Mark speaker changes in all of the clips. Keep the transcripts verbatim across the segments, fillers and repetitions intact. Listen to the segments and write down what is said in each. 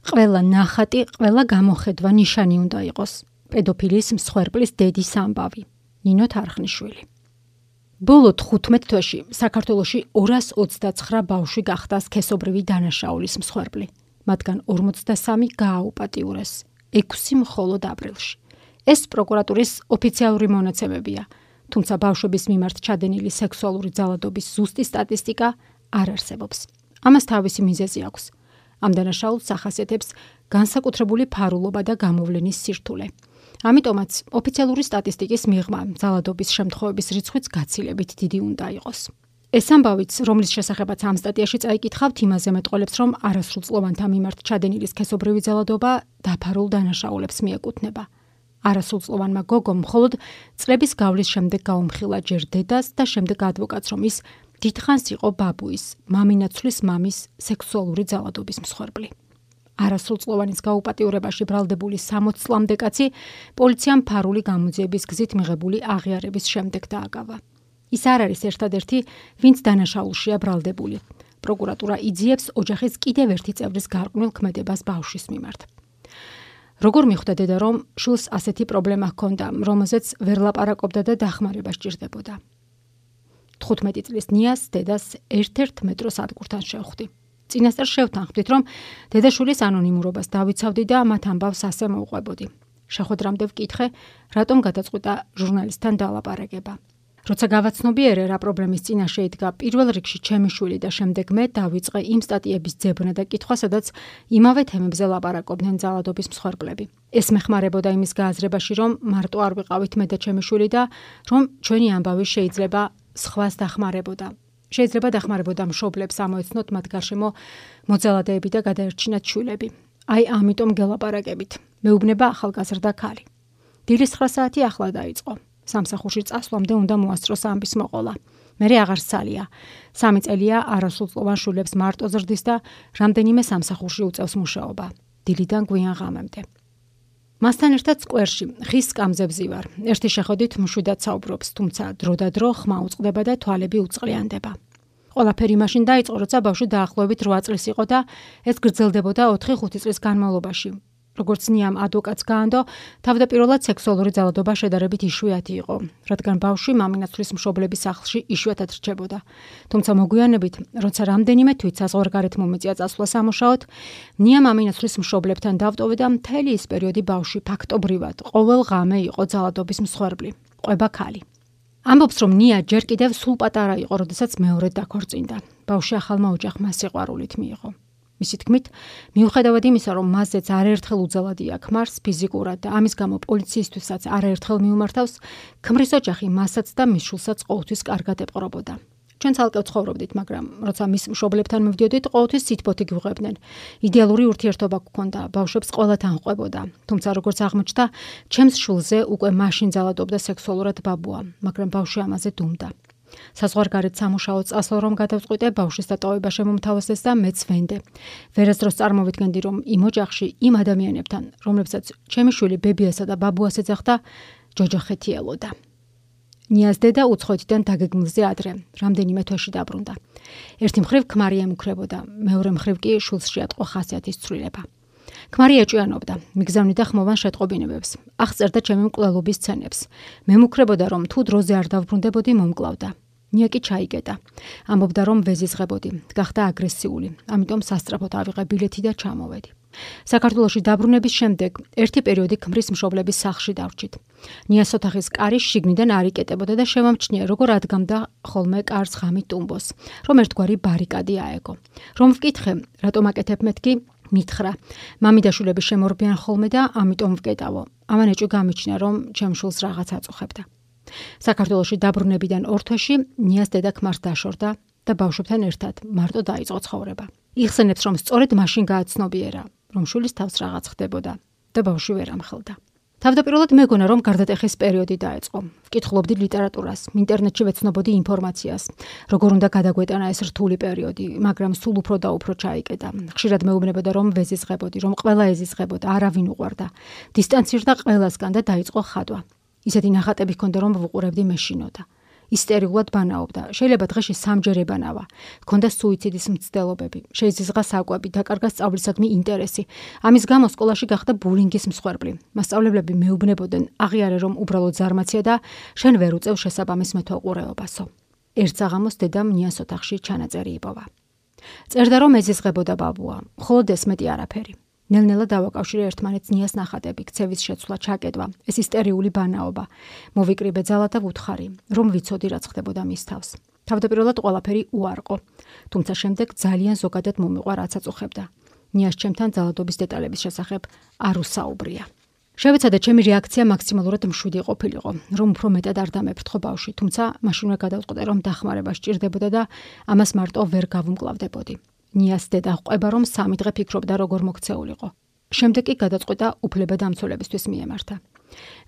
Speaker 1: ყველა ნახატი, ყველა გამოხედვა ნიშანი უნდა იყოს. პედოფილის მსხვერპლის დედის ამბავი. ნინო თარხნიშვილი. ბოლო თხუთმეტ თვეში საქართველოში ორას ოცდაცხრა ბავშვი გახდა სქესობრივი დანაშაულის მსხვერპლი. მათგან ორმოცდასამი გააუპატიურეს. ექვსი მხოლოდ აპრილში. ეს პროკურატურის ოფიციალური მონაცემებია, თუმცა ბავშვების მიმართ ჩადენილი სექსუალური ძალადობის ზუსტი სტატისტიკა არ არსებობს. ამას თავისი მიზეზი აქვს. ამ დანაშაულს ახასიათებს განსაკუთრებული ფარულობა და გამოვლენის სირთულე. ამიტომაც ოფიციალური სტატისტიკის მიღმა ძალადობის შემთხვევების რიცხვიც გაცილებით დიდი უნდა იყოს. ეს ამბავიც, რომლის შესახებაც ამ სტატიაში წაიკითხავთ, იმაზე მეტყოლებს, რომ არასრულწლოვანთა მიმართ ჩადენილი სქესობრივი ძალადობა დაფარულ დანაშაულებს მიეკუთვნება. არასრულწლოვანმა გოგომ მხოლოდ წლების გავლის შემდეგ გაუმხილა ჯერ დედას და შემდეგ ადვოკატს, რომ ის დიდხანს იყო ბაბუის, მამინაცვლის მამის სექსუალური ძალადობის მსხვერპლი. არასრულწლოვანის გაუპატიურებაში ბრალდებული სამოცი წლამდე კაცი პოლიციამ ფარული გამოძიების გზით მიღებული აღიარების შემდეგ დააგავა. ის არ არის ერთადერთი, ვინც დანაშაულშია ბრალდებული. პროკურატურა იძიებს ოჯახის კიდევ ერთი წევრის გარყვნილ ქმედებას ბავშვის მიმართ. როგორ მიხვდა დედა, რომ შვილს ასეთი პრობლემა ჰქონდა, რომელზეც ვერ ლაპარაკობდა და დახმარება სჭირდებოდა. თხუთმეტი წლის ნიას დედას ერთ-ერთ მეტროს ადგურთან შევხვდი. წინასწარ შევთანხმდით, რომ დედაშვილის ანონიმურობას დავიცავდი და მათ ამბავს ასე მოუყვებოდი. შეხვედრამდე ვკითხე, რატომ გადაწყვიტა ჟურნალისტთან დალაპარაკება. როცა გავაცნობიერე, რა პრობლემის წინაშე იდგა, პირველ რიგში ჩემი შვილი და შემდეგ მე დავიწყე იმ სტატიების ძებნა და კითხვა, სადაც იმავე თემებზე ლაპარაკობდნენ ძალადობის მსხვერპლები. ეს მეხმარებოდა იმის გააზრებაში, რომ მარტო არ ვიყავით მე და ჩემი შვილი და რომ ჩვენი ამბავი შეიძლება სხვას დახმარებოდა. შეიძლება დახმარებოდა მშობლებს, ამოეცნოთ მათ გარშემო მოძალადეები და გადაერჩინათ შვილები. აი ამიტომ გელაპარაკებით. მეუბნება ახალგაზრდა ქალი. დილის ცხრა საათი ახლა დაიწყო. სამსახურში წასვლამდე უნდა მოასწროს ამბის მოყოლა. მერე აღარ სალია. სამი წელია არასრულწლოვან შვილებს მარტო ზრდის და რამდენიმე სამსახურში უწევს მუშაობა. დილიდან გვიან ღამემდე. მასთან ერთად სკვერში ხის სკამზე ვარ. ერთი შეხედვით მშვიდად საუბრობს, თუმცა დრო და დრო ხმა უწყდება და თვალები უწყლიანდება. ყველაფერი მაშინ დაიწყო, როცა ბავშვი დაახლოებით რვა წლის იყო და ეს გრძელდებოდა ოთხი ხუთი წლის განმავლობაში. როგორც ნიამ ადვოკატს გაანდო, თავდაპირველად სექსუალური ძალადობა შედარებით იშვიათი იყო, რადგან ბავშვი მამინაცვლის მშობლების სახლში იშვიათად რჩებოდა. თუმცა მოგვიანებით, როცა რამდენიმე თვით საზღვარგარეთ მომეწია წასვლა სამუშაოდ, ნია მამინაცვლის მშობლებთან დავტოვე და მთელი ის პერიოდი ბავშვი ფაქტობრივად ყოველ ღამე იყო ძალადობის მსხვერპლი. ყვება ქალი. ამბობს, რომ ნია ჯერ კიდევ სულ პატარა იყო, როდესაც მეორედ დაქორწინდა. ბავშვი ახალმა ოჯახმა სიყვარულით მიიღო. მისი თქმით, მიუხედავად იმისა, რომ მასზეც არაერთხელ უძალადია ქმარს ფიზიკურად და ამის გამო პოლიციისთვისაც არაერთხელ მიუმართავს, ქმრის ოჯახი მასაც და მის შვილსაც ყოველთვის კარგად ეპყრობოდა. ჩვენ ცალკე ვცხოვრობდით, მაგრამ როცა მის მშობლებთან მივდიოდით, ყოველთვის სითბოთი გვიღვებდნენ. იდეალური ურთიერთობა გქონდა, ბავშვებს ყველათან ყვებოდა. თუმცა როგორც აღმოჩნდა, ჩემს შვილზე უკვე მაშინ ძალადობდა სექსუალურად ბაბუა, მაგრამ ბავშვი ამაზე დუმდა. საზღვარგარეთ სამუშაო წასვლა რომ გადავწყვიტე, ბავშვის დატოვება შემომთავაზეს და მეც ვენდე. ვერასდროს წარმოვიდგენდი, რომ იმ ოჯახში, იმ ადამიანებთან, რომლებსაც ჩემი შვილი ბებიასა და ბაბუას ეძახდა, ჯოჯოხეთი ელოდა. ნიას დედა უცხოეთიდან დაგეგმილზე ადრე, რამდენიმე თვეში დაბრუნდა. ერთი მხრივ ქმარი ემუქრებოდა, მეორე მხრივ კი შვილს შეატყო ხასიათის ცვლილება. ქმარი ეჭვიანობდა, მიგზავნიდა ხმოვან შეტყობინებებს, აღწერდა ჩემი მკვლელობის სცენებს. მემუქრებოდა, რომ თუ დროზე არ დავბრუნდებოდი, მომკლავდა. ნია კი ჩაიგედა. ამბობდა, რომ ვეზიზღებოდი, გახდა აგრესიული, ამიტომ სასწრაფოდ ავიღე ბილეთი და ჩამოვედი. საქართველოში დაბრუნების შემდეგ ერთი პერიოდი ქმრის მშობლების სახლში დავრჩით. ნიას ოთახის კარი შიგნიდან არ იკეტებოდა და შევამჩნია, როგორ ადგამდა ხოლმე კარს ღამით ტუმბოს, რომ ერთგვარი ბარიკადი აეგო. რომ ვკითხე, რატომ აკეთებ მეთქი, მითხრა. მამიდაშვილები შემორბიან ხოლმე და ამიტომ ვკეტავო. ამან ეჭვი გამიჩნია, რომ ჩემ შვილს რაღაც აწუხებდა. საქართველოში დაბრუნებიდან ორ თვეში ნიას დედა ქმარს დაშორდა და ბავშვებთან ერთად მარტო დაიწყო ცხოვრება. იხსენებს, რომ სწორედ მაშინ გააცნობიერა, რომ შვილის თავს რაღაც ხდებოდა და ბავშვი ვერ ამხელდა. თავდაპირველად მეგონა, რომ გარდატეხის პერიოდი დაეწყო. ვკითხულობდი ლიტერატურას, ინტერნეტში ვეცნობოდი ინფორმაციას, როგორ უნდა გადაგვეტანა ეს რთული პერიოდი, მაგრამ სულ უფრო და უფრო ჩაიკეტა. ხშირად მეუბნებოდა, რომ ვეზიზღებოდი, რომ ყველა ეზიზღებოდა, არავინ უყვარდა. დისტანცირდა ყველასგან და დაიწყო ხადვა. ისეთი ნახატები ჰქონდა, რომ ვუყურებდი მეშინოდა. ისტერიულად ბანაობდა. შეიძლება დღეში სამჯერ ებანავა. ჰქონდა სუიციდის მცდელობები, შეიზღა საკვები, დაკარგა სწავლისადმი ინტერესი. ამის გამო სკოლაში გახდა ბულინგის მსხვერპლი. მასწავლებლები მეუბნებოდნენ, აღიარე რომ უბრალოდ ზარმაცია და შენ ვერ უწევ შესაბამის მეთვალყურეობასო. ერთ საღამოს დედამ ნიას ოთახში ჩანაწერი იპოვა. წერდა რომ ეზიზღებოდა ბაბუა, მხოლოდ ესმეტი არაფერი. ნელ-ნელა დავაკავშირე ერთმანეთს ნიას ნახატები, ქცევის შეცვლა, ჩაკეტვა, ეს ისტერიული ბანაობა. მოვიკრიბე ძალა და ვუთხარი, რომ ვიცოდი რაც ხდებოდა მის თავს. თავდაპირველად ყველაფერი უარყო, თუმცა შემდეგ ძალიან ზოგადად მომიყვა რაც აწუხებდა. ნიას ჩემთან ძალადობის დეტალების შესახებ არ უსაუბრია. შევეცადე ჩემი რეაქცია მაქსიმალურად მშვიდი ყოფილიყო, რომ უფრო მეტად არ დამეფრთხო ბავშვი, თუმცა მაშინვე გადავწყვიტე რომ დახმარება სჭირდებოდა და ამას მარტო ვერ გავუმკლავდებოდი. ნიას დედა ყვება რომ სამი დღე ფიქრობდა როგორ მოქცეულიყო. შემდეგ კი გადაწყვიტა უფლებადამცველებისთვის მიემართა.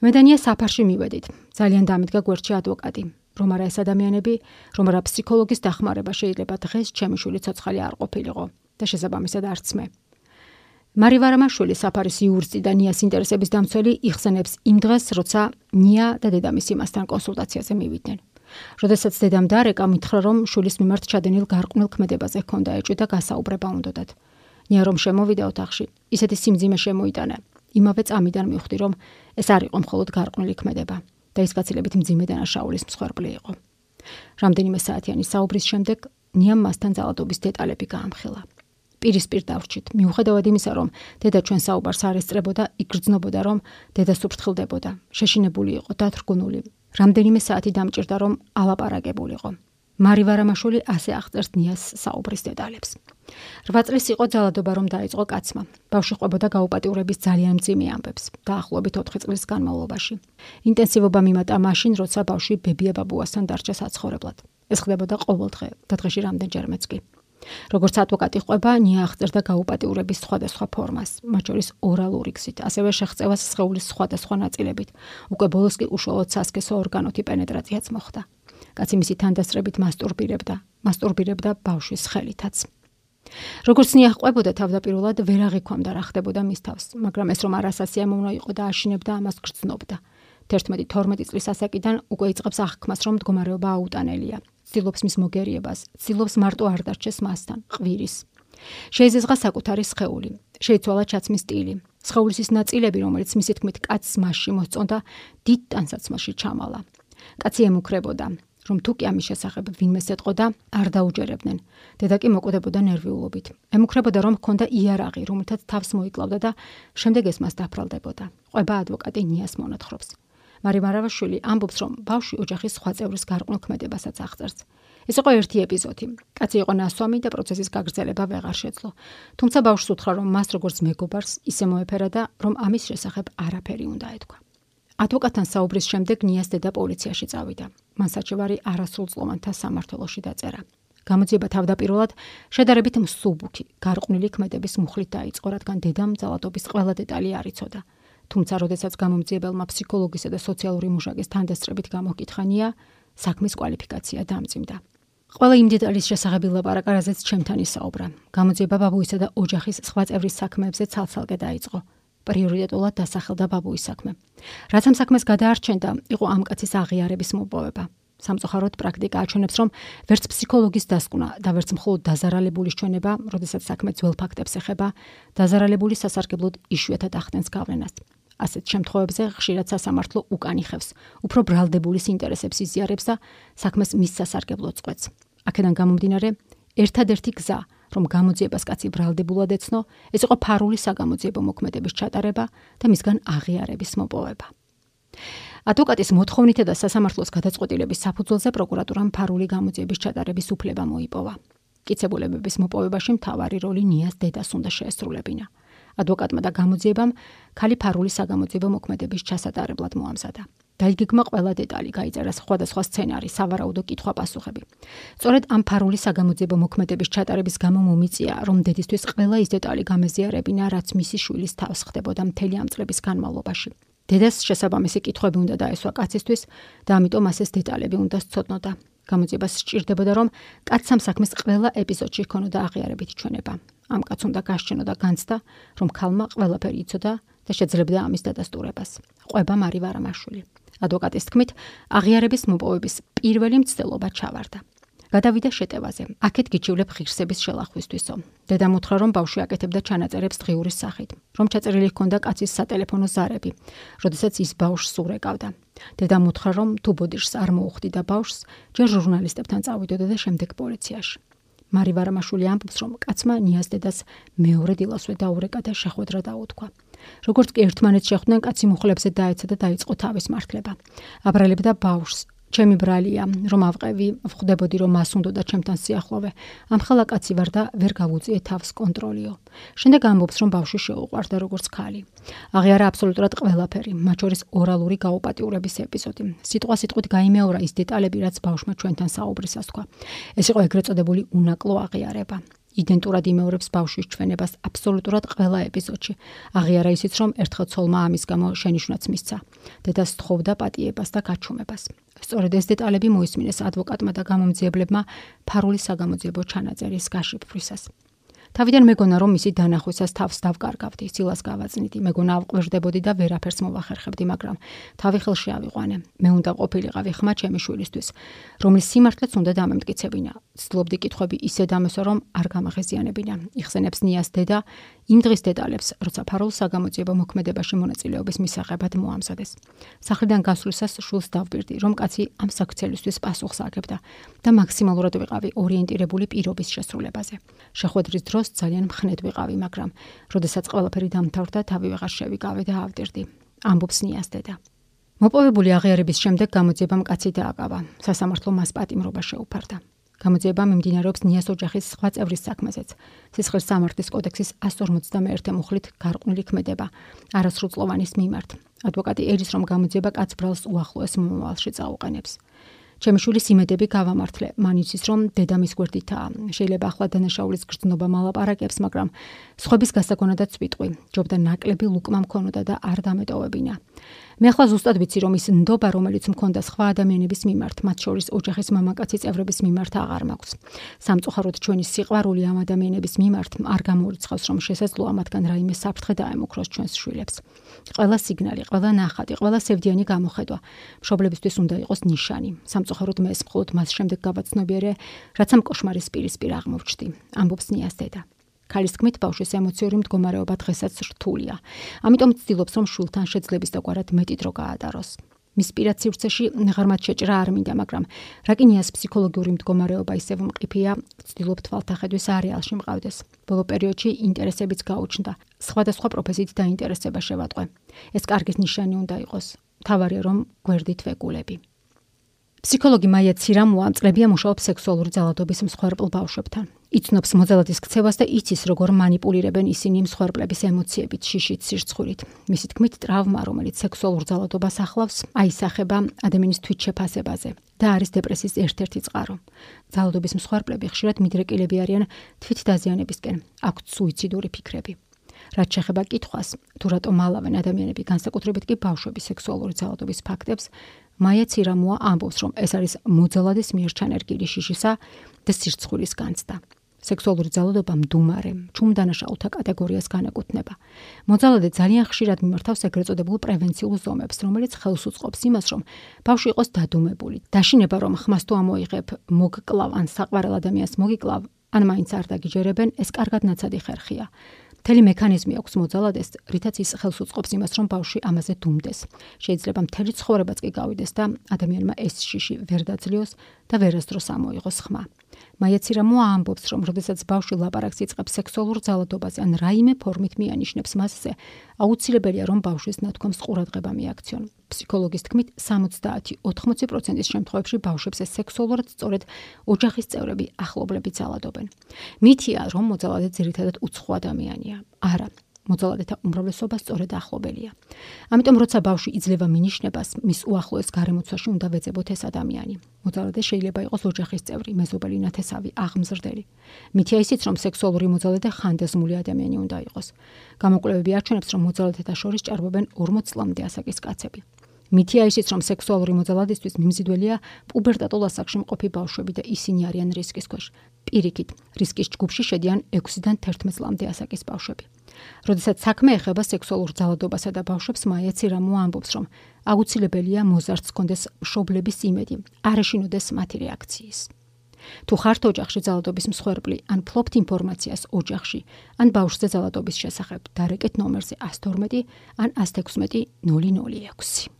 Speaker 1: მე და ნია საფარში მივედით. ძალიან დამიდგა გვერდში ადვოკატი. რომ არა ეს ადამიანები, რომ არა ფსიქოლოგის დახმარება შეიძლება დღეს ჩემი შვილი ცოცხალი არ ყოფილიყო და შესაბამისად არც მე. მარი ვარამაშვილი საფარის იურისტი და ნიას ინტერესების დამცველი იხსენებს იმ დღეს, როცა ნია და დედამისი იმასთან კონსულტაციაზე მივიდნენ. როდესაც დედამ დარეკა, მითხრა რომ შვილის მიმართ ჩადენილ გარყვნილ ქმედებაზე ჰქონდა ეჭვი და გასაუბრება უნდოდათ. ნია რომ შემოვიდა ოთახში, ისეთი სიმძიმე შემოიტანა. იმავე წამიდან მივხვდი რომ ეს არ იყო მხოლოდ გარყვნილი ქმედება და ის გაცილებით მძიმე დანაშაულის მსხვერპლი იყო. რამდენიმე საათიანი საუბრის შემდეგ ნიამ მასთან ძალადობის დეტალები გაამხილა. პირისპირ დავრჩით, მიუხედავად იმისა, რომ დედა ჩვენ საუბარს არ ესწრებოდა, იგრძნობოდა, რომ დედა სუფრთხილდებოდა, შეშინებული იყო, დათრგუნული. რამდენიმე საათი დამჭირდა, რომ ალაპარაკებულიყო. მარი ვარამაშვილი ასე აღწერს ნიას საუბრის დეტალებს. რვა წლის იყო ძალადობა რომ დაიწყო კაცმა. ბავშვი ყვებოდა გაუპატიურების ძალიან მძიმე ამბებს, დაახლოებით ოთხი წლის განმავლობაში. ინტენსივობა მიმატა მაშინ, როცა ბავშვი ბებია ბაბუასთან დარჩა საცხოვრებლად. ეს ხდებოდა ყოველ დღე და დღეში რამდენჯერმეც კი. როგორც ადვოკატი ყვება, ნია აღწერდა გაუპატიურების სხვადასხვა ფორმას, მათ შორის ორალური გზით, ასევე შეღწევას სხეულის სხვადასხვა ნაწილებით. უკვე ბოლოს კი უშუალოდ სასქესო ორგანოთი პენეტრაციაც მოხდა. კაცი მისი თანდასწრებით მასტურბირებდა, მასტურბირებდა ბავშვის ხელითაც. როგორც ნია ყვებოდა, თავდაპირველად ვერ აღიქვამდა რა ხდებოდა მის თავს, მაგრამ ეს რომ არასასიამოვნო იყო და აშინებდა ამას გრძნობდა. თერთმეტი თორმეტი წლის ასაკიდან უკვე იწყებს აღქმას, რომ მდგომარეობა აუტანელია. ცდილობს მის მოგერიებას, ცდილობს მარტო არ დარჩეს მასთან, ყვირის. შეიზღა საკუთარი სხეული, შეიცვალა ჩაცმის სტილი. სხეულის ის ნაწილები, რომელიც მისი თქმით კაცს მასში მოსწონდა, დიდ ტანსაცმელში ჩამალა. კაცი ემუქრებოდა, რომ თუ კი ამის შესახებ ვინმეს ეტყოდა, არ დაუჯერებდნენ. დედა კი მოკვდებოდა ნერვიულობით. ემუქრებოდა, რომ ჰქონდა იარაღი, რომელთაც თავს მოიკლავდა და შემდეგ ეს მას დაფრალდებოდა. ყვება ადვოკატი ნიას მონათხრობს. მარი ვარამაშვილი ამბობს, რომ ბავშვი ოჯახის სხვა წევრის გარყვნილ ქმედებასაც აღწერს. ეს იყო ერთი ეპიზოდი. კაცი იყო ნასვამი და პროცესის გაგრძელება ვეღარ შეძლო. თუმცა ბავშვს უთხრა, რომ მას როგორც მეგობარს ისე მოეფერა და რომ ამის შესახებ არაფერი უნდა ეთქვა. ადვოკატთან საუბრის შემდეგ ნიას დედა პოლიციაში წავიდა. მან საჩივარი არასრულწლოვანთა სამმართველოში დაწერა. გამოძიება თავდაპირველად შედარებით მსუბუქი, გარყვნილი ქმედების მუხლით დაიწყო, რადგან დედამ ძალადობის ყველა დეტალი არ იცოდა. თუმცა, როდესაც გამომძიებელმა ფსიქოლოგისა და სოციალური მუშაკის თანდასწრებით გამოკითხა ნია, საქმის კვალიფიკაცია დამძიმდა. ყველა იმ დეტალის შესახებ ილაპარაკა, რაზეც ჩემთან ისაუბრა. გამოძიება ბაბუისა და ოჯახის სხვა წევრის საქმეებზე ცალ-ცალკე დაიწყო. პრიორიტეტულად დასახელდა ბაბუის საქმე. რაც ამ საქმეს გადაარჩენდა, იყო ამ კაცის აღიარების მოპოვება. სამწუხაროდ პრაქტიკა აჩვენებს, რომ ვერც ფსიქოლოგის დასკვნა და ვერც მხოლოდ დაზარალებულის ჩვენება, როდესაც საქმე ძველ ფაქტებს ეხება, დაზარალებული სასარგებლოდ იშვიათად ახდენს გავლენას. ასეთ შემთხვევებზე ხშირად სასამართლო უკან იხევს, უფრო ბრალდებულის ინტერესებს იზიარებს და საქმეს მის სასარგებლოდ წყვეტს. აქედან გამომდინარე, ერთადერთი გზა, რომ გამოძიებას კაცი ბრალდებულად ეცნო, ეს იყო ფარული საგამოძიებო მოქმედების ჩატარება და მისგან აღიარების მოპოვება. ადვოკატის მოთხოვნითა და სასამართლოს გადაწყვეტილების საფუძველზე პროკურატურამ ფარული გამოძიების ჩატარების უფლება მოიპოვა. მტკიცებულებების მოპოვებაში მთავარი როლი ნიას დედას უნდა შეესრულებინა. ადვოკატმა და გამოძიებამ ქალი ფარული საგამოძიებო მოქმედების ჩასატარებლად მოამზადა. დაიგეგმა ყველა დეტალი, გაიწერა სხვადასხვა სცენარი, სავარაუდო კითხვა-პასუხები. სწორედ ამ ფარული საგამოძიებო მოქმედების ჩატარების გამო მომიწია, რომ დედისთვის ყველა ის დეტალი გამეზიარებინა, რაც მისი შვილის თავს ხდებოდა მთელი ამ წლების განმავლობაში. დედას შესაბამისი კითხვები უნდა დაესვა კაცისთვის და ამიტომ მას ეს დეტალები უნდა სცოდნოდა. გამოძიებას სჭირდებოდა, რომ კაცს ამ საქმის ყველა ეპიზოდში ჰქონოდა აღიარებითი ჩვენება. ამ კაცს უნდა გასჩენოდა განცდა, რომ ქალმა ყველაფერი იცოდა და შეძლებდა ამის დადასტურებას. ყვება მარი ვარამაშვილი. ადვოკატის თქმით, აღიარების მოპოვების პირველი მცდელობა ჩავარდა. გადავიდა შეტევაზე. აქეთ გიჩივლებ ღირსების შელახვისთვისო. დედამ უთხრა, რომ ბავშვი აკეთებდა ჩანაწერებს დღიურის სახით, რომ ჩაწერილი ჰქონდა კაცის სატელეფონო ზარები, როდესაც ის ბავშვს ურეკავდა. დედამ უთხრა, რომ თუ ბოდიშს არ მოუხდიდა ბავშვს, ჯერ ჟურნალისტებთან წავიდოდა და შემდეგ პოლიციაში. მარი ვარამაშვილი ამბობს, რომ კაცმა ნიას დედას მეორე დილასვე დაურეკა და შეხვედრა დაუთქვა. როგორც კი ერთმანეთს შეხვდნენ, კაცი მუხლებზე დაეცა და დაიწყო თავის მართლება. აბრალებდა ბავშვს. ჩემი ბრალია, რომ ავყევი, ვხვდებოდი, რომ მას უნდოდა ჩემთან სიახლოვე. ამხელა კაცი ვარ და ვერ გავუწიე თავს კონტროლიო. შემდეგ ამბობს, რომ ბავშვი შეუყვარდა როგორც ქალი. აღიარა აბსოლუტურად ყველაფერი, მათ შორის ორალური გაუპატიურების ეპიზოდი. სიტყვა-სიტყვით გაიმეორა ის დეტალები, რაც ბავშვმა ჩვენთან საუბრისას თქვა. ეს იყო ეგრეთ წოდებული უნაკლო აღიარება. იდენტურად იმეორებს ბავშვის ჩვენებას აბსოლუტურად ყველა ეპიზოდში. აღიარა ისიც, რომ ერთხელ ცოლმა ამის გამო შენიშვნაც მისცა. დედას თხოვდა პატიებას და გაჩუმებას. სწორედ ეს დეტალები მოისმინეს ადვოკატმა და გამომძიებლებმა ფარული საგამოძიებო ჩანაწერის გაშიფვრისას. თავიდან მეგონა, რომ მისი დანახვისას თავს დავკარგავდი, სილას გავაწნიდი, მეგონა ავყვირდებოდი და ვერაფერს მოვახერხებდი, მაგრამ თავი ხელში ავიყვანე. მე უნდა ყოფილიყავი ხმა ჩემი შვილისთვის, რომლის სიმართლეც უნდა დამემტკიცებინა. ცდილობდი კითხვები ისე დამესვა, რომ არ გამაღიზიანებინა. იხსენებს ნიას დედა იმ დღის დეტალებს, როცა ფარულ საგამოძიებო მოქმედებაში მონაწილეობის მისაღებად მოამზადეს. სახლიდან გასვლისას შვილს დავბირდი, რომ კაცი ამ საქცელისთვის პასუხს აგებდა და მაქსიმალურად ვიყავი ორიენტირებული პირობის შესრულებაზე. შეხვედრის დროს ძალიან მხნედ ვიყავი, მაგრამ როდესაც ყველაფერი დამთავრდა, თავი ვეღარ შევიკავე და ავდირდი. ამბობს ნიას დედა. მოპოვებული აღიარების შემდეგ გამოძიებამ კაცი დააკავა. სასამართლო მას პატიმრობა შეუფარდა. გამოძიება მიმდინარეობს ნიას ოჯახის სხვა წევრის საქმეზეც. სისხლის სამართლის კოდექსის εκατს ორმოცდამეერთე მუხლით გარყვნილი ქმედება არასრულწლოვანის მიმართ. ადვოკატი ერის, რომ გამოძიება კაც ბრალს უახლოეს მომავალში წაუყენებს. ჩემი შვილის იმედები გავამართლე. მან იცის, რომ დედა მის გვერდითაა. შეიძლება ახლა დანაშაულის გრძნობა მალაპარაკებს, მაგრამ სხვების გასაგონადაც ვიტყვი. ჯობდა ნაკლები ლუკმა მქონოდა და არ დამეტოვებინა. მე ახლა ზუსტად ვიცი, რომ ის ნდობა, რომელიც მქონდა სხვა ადამიანების მიმართ, მათ შორის ოჯახის მამაკაცი წევრების მიმართ აღარ მაქვს. სამწუხაროდ ჩვენი სიყვარული ამ ადამიანების მიმართ არ გამორიცხავს, რომ შესაძლოა მათგან რაიმე საფრთხე დაემუქროს ჩვენს შვილებს. ყველა სიგნალი, ყველა ნახატი, ყველა სევდიანი გამოხედვა მშობლებისთვის უნდა იყოს ნიშანი. სამწუხაროდ მე ეს მხოლოდ მას შემდეგ გავაცნობიერე, რაც ამ კოშმარის პირისპირ აღმოჩნდი. ამბობს ნიას დედა. ქალის თქმით, ბავშვის ემოციური მდგომარეობა დღესაც რთულია. ამიტომ ცდილობს, რომ შვილთან შეძლების დაგვარად მეტი დრო გაატაროს. მის პირად სივრცეში ღრმად შეჭრა არ მინდა, მაგრამ რაკინიას ფსიქოლოგიური მდგომარეობა ისევ მყიფეა, ვცდილობ თვალთახედვის არეალში მყავდეს. ბოლო პერიოდში ინტერესებიც გაუჩნდა. სხვადასხვა პროფესიით დაინტერესება შევატყვე. ეს კარგის ნიშანი უნდა იყოს. თავარია, რომ გვერდით ვეგულები. ფსიქოლოგი მაია ცირამუა წლებია მუშაობს სექსუალური ძალადობის მსხვერპლ ბავშვებთან. იცნობს მოძალადის ქცევას და იცის, როგორ მანიპულირებენ ისინი მსხვერპლების ემოციებით, შიშით, სირცხვილით. მისი თქმით, ტრავმა, რომელიც სექსუალურ ძალადობას ახლავს, აისახება ადამიანის თვითშეფასებაზე და არის დეპრესიის ერთ-ერთი წყარო. ძალადობის მსხვერპლები ხშირად მიდრეკილები არიან თვითდაზიანებისკენ, აქვთ სუიციდური ფიქრები. რაც შეეხება კითხვას, თუ რატომ ალავენ ადამიანები, განსაკუთრებით კი ბავშვები სექსუალური ძალადობის ფაქტებს, მაია ცირამუა ამბობს, რომ ეს არის მოძალადის მიერ ჩანერგილი შიშისა და სირცხვილის განცდა. სექსუალური ძალადობა მდუმარე, ჩუმ დანაშაულთა კატეგორიას განეკუთვნება. მოძალადე ძალიან ხშირად მიმართავს ეგრეთ წოდებულ პრევენციულ ზომებს, რომელიც ხელს უწყობს იმას, რომ ბავშვი იყოს დადუმებული. დაშინება, რომ ხმას თუ ამოიღებ, მოგკლავ ან საყვარელ ადამიანს მოგიკლავ, ან მაინც არ დაგიჯერებენ, ეს კარგად ნაცადი ხერხია. მთელი მექანიზმი აქვს მოძალადეს, რითაც ის ხელს უწყობს იმას, რომ ბავშვი ამაზე დუმდეს. შეიძლება მთელი ცხოვრებაც კი გავიდეს და ადამიანმა ეს შიში ვერ დაძლიოს და ვერასდროს ამოიღოს ხმა. მაია ცირამუა ამბობს, რომ როდესაც ბავშვი ლაპარაკს იწყებს სექსუალურ ძალადობაზე ან რაიმე ფორმით მიანიშნებს მასზე, აუცილებელია, რომ ბავშვის ნათქვამს ყურადღება მიაქციონ. ფსიქოლოგის თქმით, სამოცდაათი ოცდაათი პროცენტის შემთხვევებში ბავშვებს ეს სექსუალურად სწორედ ოჯახის წევრები, ახლობლები ძალადობენ. მითია, რომ მოძალადე ძირითადად უცხო ადამიანია. არა, მოძალადეთა უმრავლესობა სწორედ ახლობელია. ამიტომ როცა ბავშვი იძლევა მინიშნებას, მის უახლოეს გარემოცვაში უნდა ვეძებოთ ეს ადამიანი. მოძალადე შეიძლება იყოს ოჯახის წევრი, მეზობელი, ნათესავი, აღმზრდელი. მითია ისიც, რომ სექსუალური მოძალადე ხანდაზმული ადამიანი უნდა იყოს. გამოკვლევები არჩენებს, რომ მოძალადეთა შორის ჭარბობენ ორმოც წლამდე ასაკის კაცები. მითია ისიც, რომ სექსუალური მოძალადისთვის მიმზიდველია პუბერტატულ ასაკში მყოფი ბავშვები და ისინი არიან რისკის ქვეშ. პირიქით, რისკის ჯგუფში შედიან ექვსიდან თერთმეტ წლამდე ასაკის ბავშვები. როდესაც საქმე ეხება სექსუალურ ძალადობასა და ბავშვებს, მაია ცირამო ამბობს, რომ აუცილებელია მოზარდს ჰქონდეს მშობლების იმედი, არ ეშინოდეს მათი რეაქციის. თუ ხართ ოჯახში ძალადობის მსხვერპლი, ან ფლობთ ინფორმაციას ოჯახში, ან ბავშვზე ძალადობის შესახებ, დარეკეთ ნომერზე ათს თორმეტი ან ათს ექვსმეტი ნული ნული ექვსი.